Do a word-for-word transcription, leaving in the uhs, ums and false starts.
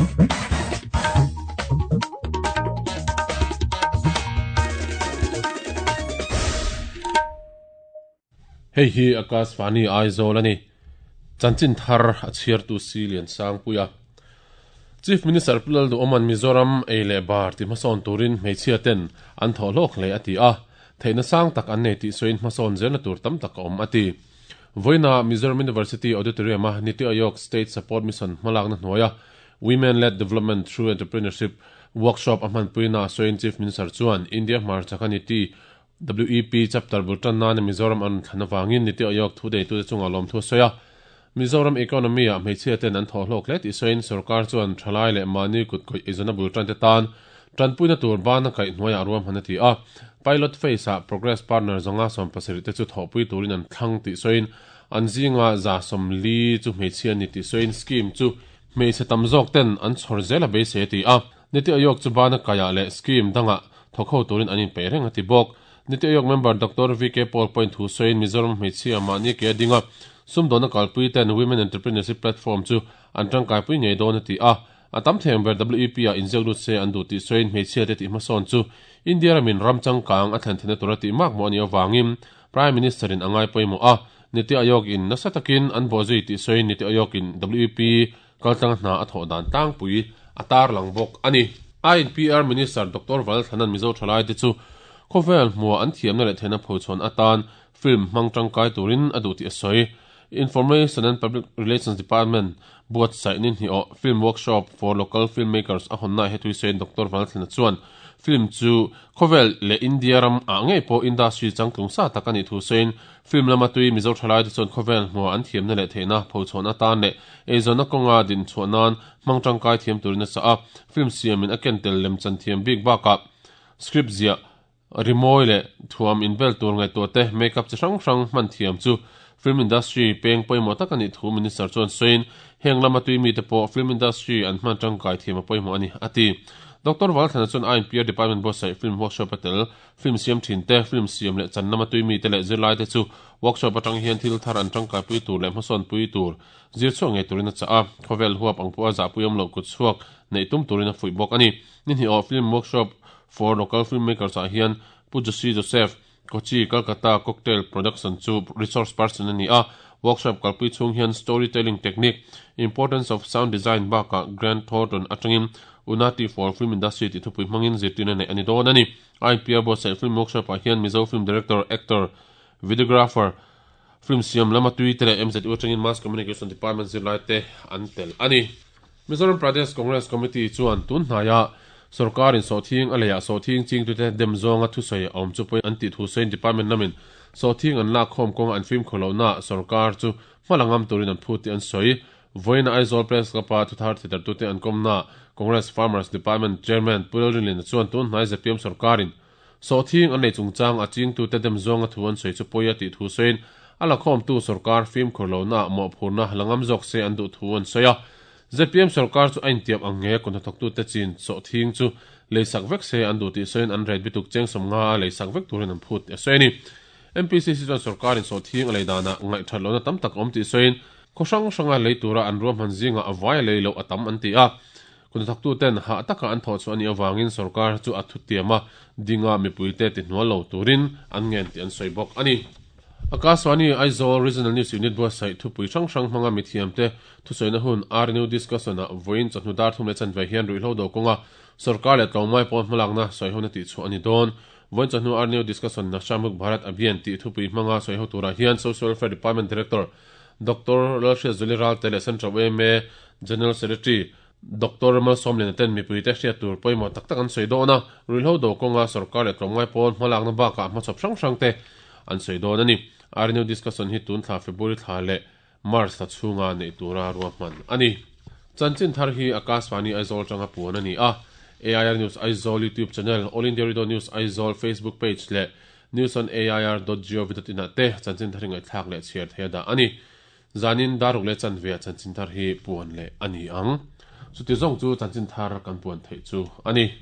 Hei hi Akashvani Aizawl ani. Chanchin thar a chhiar tu si lian sang puia. Chief Minister Pulal du Oman Mizoram ei le bar ti hmasawn turin hmeichhia ten an thaw hlawk hle a ti a. Theihna sang tak an nei tih sawiin hmasawn zelna tur tam tak a awm a ti. Vawiina Mizoram University Auditorium a Niti Aayog State Support Mission hmalakna hnuaia Women-led Development Through Entrepreneurship Workshop a hmanpuina sawiin Chief Minister chuan India hmarchaka Niti W E P chapter bul tan nan Mizoram an thlan awangin Niti Aayog thu deitute chunga lawm thu sawi a. Mizoram economy a hmeichhia ten an thaw hlawk hle tih sawiin sarkar chuan thalai leh mahni kut khawih eizawnna bul tan te tan tanpuina tur bana kaih hnuaiah ruam han a ti a. Pilot phase a Progress Partner zawnga sawm pasarih te chu thawhpui turin an thlang tih sawiin an zinga za sawm li chu hmeichhia ni tih sawiin scheme chu hmeichhe tam zawk ten an chhawr zel a beisei a ti a. Niti Aayog chu bana kaiah leh scheme dangah thawkho turin an inpeih reng a ti bawk. Niti Aayog member Doctor V K Paul point thu sawiin Mizoram hmeichhia mahni ke a ding a. Sumdawna kalpui ten Women Entrepreneurship Platform chu an tangkaipui ngei dawn a ti a. A tam theng ber W E P a inziak lut se an duh tih sawiin hmeichhia te tih hmasawn chu India ramin ram changkang a thlen theihna tur a tih mak maw a nih avangin Prime Minister in a ngai pawimawh a. Niti Aayog in nasa takin an bawhzui tih sawiin Niti Aayog in W E P kaltlang hna a thawh dan tlangpui a tar lang bawk a ni. I N P R Minister Doctor Valthanan Mizo thalai te chu khawvel hmua an thiamna leh theihna phochhawn atan film hmang tangkai turin a duh tih a sawi. Information and Public Relations Department buatsaih ni hnih aw film workshop for local filmmakers a hawnna hetui sawiin Doctor Valthlana chuan film chu khawvel leh India ram ah ngei pawh industry changtlung sa tak ani thu sawiin film lama tui Mizo thalai te chuan khawvel hmua an thiamna leh theihna phochhawn atan leh eizawnna kawnga din chhuah nan hmang tangkai thiam turin a sa a. Film siamin a kentel lem chan thiam bik bakah script zia rimawi leh thuam inbel tur ngaihtuah te makeup chi hrang hrang hman thiam chu film industry peng pawimawh tak ani thu minister chuan sawiin heng lama tui mi te pawh film industry an hman tangkai thiam a pawimawh ani a ti. Doctor Valthlana chuan I N P R Department buatsaih film workshop a tel film siam thin te film siam leh chan lama tui mi te leh zirlai te chu workshop atang hian thil thar an tangkai pui tur leh hmasawn pui tur zir chhuak ngei turin a chah a. Khawvel huap ang pawh a zahpui awm loh kut chhuak neih tum turin a fuih bawk ani. Ni hnih aw film workshop for local filmmakers ah hian Pu Joshi Joseph Kochi Kolkata Cocktail Production chu resource person ani a. Workshop kalpui chung hian storytelling technique, importance of sound design baka Grant Thornton atangin Unati for Film Industry ti thupui hmangin zirtirna nei ani dawn ani. I P R buatsaih film workshop ah hian Mizo film director, actor, videographer, film siam lama tui te leh M Z U atangin Mass Communication Department zirlai te an tel ani. Mizoram Pradesh Congress Committee chuan tun hnaia sarkarin sawhthing a leiah sawhthing chingtute dem zawnga thusawi a awm chu pawhin an tih thu sawiin department lamin sawhthing an lak khawm kawnga an fim khawlohna sarkar chu hmalangam turin an phut tih an sawi. Vawiina Aizawl Press Club-a thuthar thetartute an kawmna Congress Farmers Department Chairman Pulal Rinlin chuan tun hnai Z P M sarkarin sawhthing an nei chungchang a chingtute dem zawnga thu an sawi chu pawi a tih thu sawiin a la khawmtu sarkar fim khawlohna mawhphurna langam zawk se an duh thu an sawi a. Z P M sarkar chu a intiam ang nge kawhnathawktute chin sawhthing chu leisak vek se an duh tih sawiin an rate bituk cheng sawm nga a leisak vek turin an phut tih a sawi a ni. M P C C chuan sarkarin sawhthing a lei danah ngaih that lohna tam tak awm tih sawiin khaw hrang hranga lei tura an ruahman zinga a vai lei loh a tam an ti a. Kawhnathawktuten hah taka an thawh chu ani awangin sarkar chu a thutiam a dinga mipuite ti hnual lo turin an ngen tih an sawi bawk ani. Akashvani Aizawl Regional News Unit buatsaih thupui hrang hrang hmanga mithiam te thusawina hun R N U discussion ah vawiin chawhnu dar thum leh chanve hian ruihhlo do kawnga sarkar leh tlawmngai pawn hmalakna sawihona tih chhuah ani dawn. Vawiin chawhnu R N U discussion Nasha Mukht Bharat Abhiyan tih thupui hmanga sawiho turah hian Social Welfare Department Director Doctor Lalhriat Zuli Ralte leh Central Y M A General Secretary Doctor Malsawmliana ten mipui te hriat tur pawimawh tak tak an sawi dawn a. Ruihhlo do kawnga sarkar leh tlawmngai pawn hmalakna bakah hmachhawp hrang hrang te an sawi dawn ani. R N U discussion hi tun thla February thla leh March thla chhunga nei tura ruahman ani. Chanchin thar hi Akashvani Aizawl tanga puan ani a. A I R News Aizawl YouTube channel, All India Radio News Aizawl Facebook page leh news on A I R dot gov dot in ah te chanchin thar hi ngaihthlak leh chhiar theia dah ani. Zanin daruk leh chanve ah chanchin thar hi puan leh ani ang. Chuti zawng chu chanchin thar kan puan theih chu ani.